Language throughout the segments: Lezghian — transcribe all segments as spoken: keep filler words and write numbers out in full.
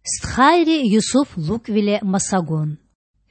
Стхайри Юсуф лукІвиле маса гун.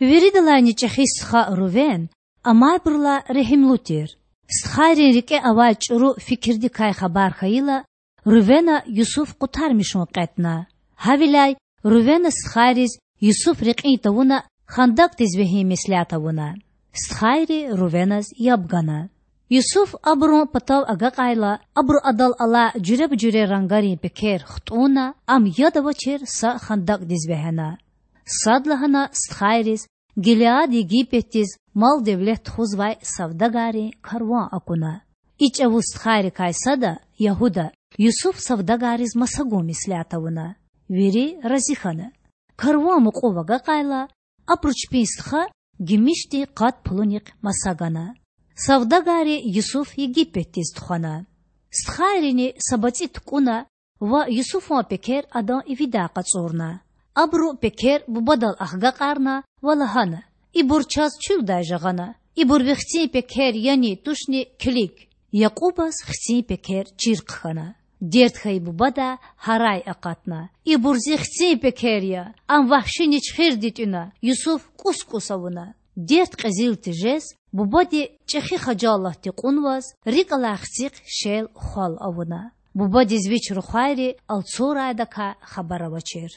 Виридалайни чІехи стха Рувен амайбурулай регьимлу тир. Стхайрин рикІе авай чІуру фикирдикай хабар хьайила, Рувена Юсуф къутармишун кьетІна. Гьавиляй Рувена стхайриз Юсуф рекьин тавуна хандакІдиз вегьин меслят авуна. Стхайри Рувеназ яб гана. Юсуф абурун патав агакьайла, абуру адал алай жуьреба-жуьре рангарин пекер хтІунна, ам яд авачир са хандакІдиз вегьена. Садлагьана стхайриз Гилеад Египетдиз мал-девлет тухузвай савдагаррин карван акуна. И чІавуз стхайрикай сада, Ягьуда, Юсуф савдагарриз маса гун меслят авуна. Вири рази хьана. Карван мукьув агакьайла, абуру чпин стха гимишдин къад пулунихъ маса гана. Савдагарри Юсуф Египетдиз тухвана. Стхайрини са бацІи тукІуна ва Юсуфан пекер адан ивидай къачІурна. Абуру пекер бубадал агакьарна ва лагьана: Ибур чаз чуьлдай жагъана. Ибур ви хцин пекер яни, тушни, килиг. Якьубаз хцин пекер чир хъхьана. Дерт хьайи бубадай гьарай акъатна: Ибур зи хцин пекер я! Ам вагьши ничхирди тІуьна, Юсуф кІус-кІус авуна. Дерт кьезил тежез, бубади чІехи хажалатди кьунваз, рикІ алай хцихъ шел-хвал авуна. Бубадиз вич рухвайри алцурайдакай хабар авачир.